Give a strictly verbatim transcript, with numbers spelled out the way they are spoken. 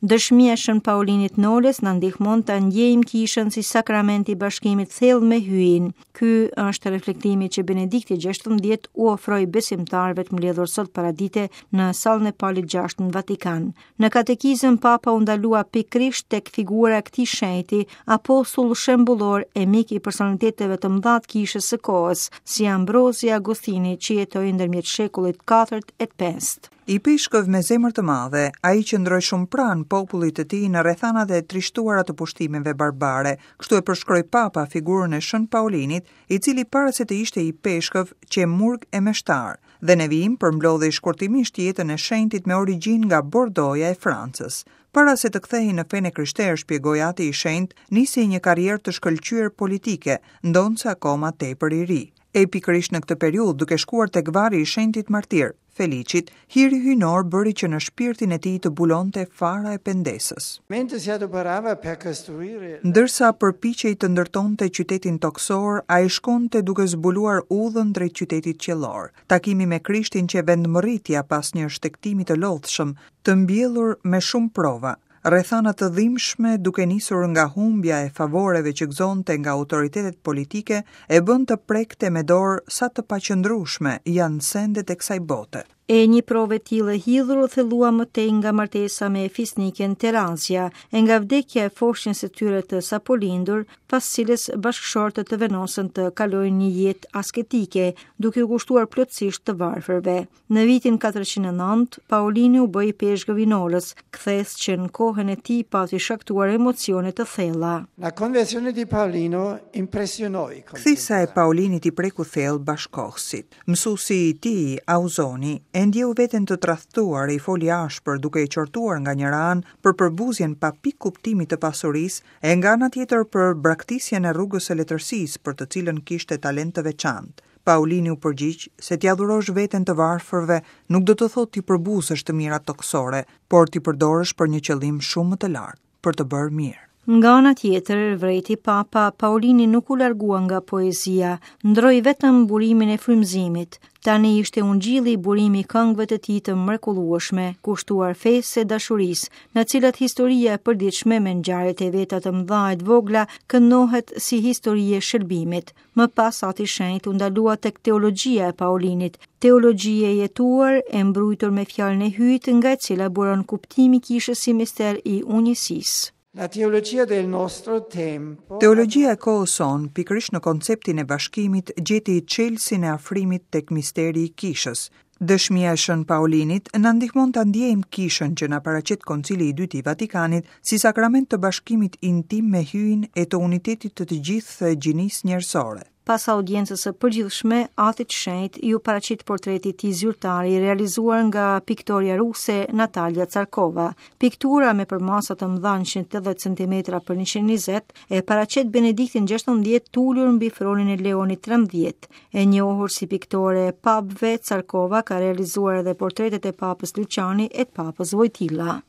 Dëshmia e Shën Paulinit Nolës na ndihmon ta ndjejmë kishën si sakrament i bashkimit thellë me Hyjin. Ky është reflektimi që Benedikti gjashtëmbëdhjetë u ofroi besimtarëve të mbledhur sot paradite në sallën e Palit gjashtë në Vatikan. Në katekizëm Papa u ndalua pikërisht tek figura e këtij shenjti, apostull shembullor e mik i personaliteteve të mëdha të kishës së kohës, si Ambrozi Agostini, që jetoi ndërmjet shekullit katërt e të pestë. Ipeshkëv me zemër të madhe, ai qëndroi shumë pranë popullit të tij në rrethanat e trishtuara të pushtimeve barbare. Kështu e përshkroi Papa figurën e Shën Paulinit, i cili para se të ishte ipeshkëv qe murg e meshtar, dhe në vijim përmblodhi shkurtimisht jetën e shenjtit me origjinë nga Bordoja e Francës. Para se të kthehej në fenë e krishterë, shpjegoi ati i shenjtë, nisi një karrierë të shkëlqyer politike, ndonëse akoma tepër i ri. E pikërisht në këtë periudhë, duke shkuar tek varri i shenjtit martir, Felicit, hiri hyjnor bëri që në shpirtin e tij të bulonte fara e pendesës. Mentre si adoperava per costruire Ndërsa përpiqej të ndërtonte qytetin toksor, ai shkonte duke zbuluar udhën drejt qytetit qiellor. Takimi me Krishtin që vendmërritja pas një shtegtimi të lodhshëm, të mbjellur me shumë prova, rrethana të dhimbshme duke nisur nga humbja e favoreve që gëzonte nga autoritetet politike, e bën të prekte me dorë sa të paqëndrueshme janë sendet e kësaj bote. E një provë e tillë e hidhur u thellua më tej nga martesa me fisniken Terazia, e nga vdekja e foshnjës së tyre të sapolindur, pas cilës bashkëshortët të vendosën të kalojnë një jetë asketike, duke u kushtuar plotësisht të varfërve. Në vitin katërqind e nëntë, Paulini u bë ipeshkëv i Nolës, kthesë që në kohën e tij pati shkaktuar emocione të thella. La conversione di Paolino impressionò i Kthesa e Paulinit i preku thellë bashkohësit. Mësuesi i tij, Auzoni, e ndjeu veten të tradhtuar e i foli ashpër duke e qortuar nga njëra anë për përbuzjen pa pikë kuptimi të pasurisë e nga ana tjetër për braktisjen e rrugës së letërsisë për të cilën kishte talent të veçantë. Paulini u përgjigj se t'ia dhurosh veten të varfërve nuk do të thotë t'i përbuzësh të mirat toksore, por t'i përdorësh për një qëllim shumë më të lartë, për të bërë mirë. Nga ana tjetër, vrejti Papa, Paulini nuk u largua nga poezia, ndroi vetëm burimin e frymëzimit. Tani ishte ungjilli burimi i këngëve të tij të mrekullueshme, kushtuar fesë e dashurisë, në cilat historia e përditshme me ngjarjet e veta të mëdha e të vogla këndohet si histori e shëlbimit. Më pas ati shenjt u ndalua tek teologjia e Paulinit, teologji e jetuar e mbrujtur me fjalën e Hyjit, nga e cila buron kuptimi i kishës si mister i unjësisë. La teologia del nostro tempo. Teologjia e kohës sonë, pikërisht në konceptin e bashkimit, gjeti çelësin e afrimit tek misteri i kishës. Dëshmia e Shën Paulinit na ndihmon ta ndjejmë kishën që na paraqet Koncili i Dytë i Vatikanit si sakrament të bashkimit intim me Hyjin e të unitetit të të gjithë gjinisë njerëzore. Pas audiencës së përgjithshme, Atit Shenjt ju paraqit portreti i tij zyrtar i realizuar nga piktoria ruse Natalia Tsarkova. Piktura me përmasa të mëdha njëqind e tetëdhjetë centimetra për njëqind e njëzet e paraqet Benediktin gjashtëmbëdhjetë ulur mbi fronin e Leonit trembëdhjetë. E njohur si piktore e papëve, Tsarkova ka realizuar edhe portretet e Papës Luciani e të Papës Wojtyla.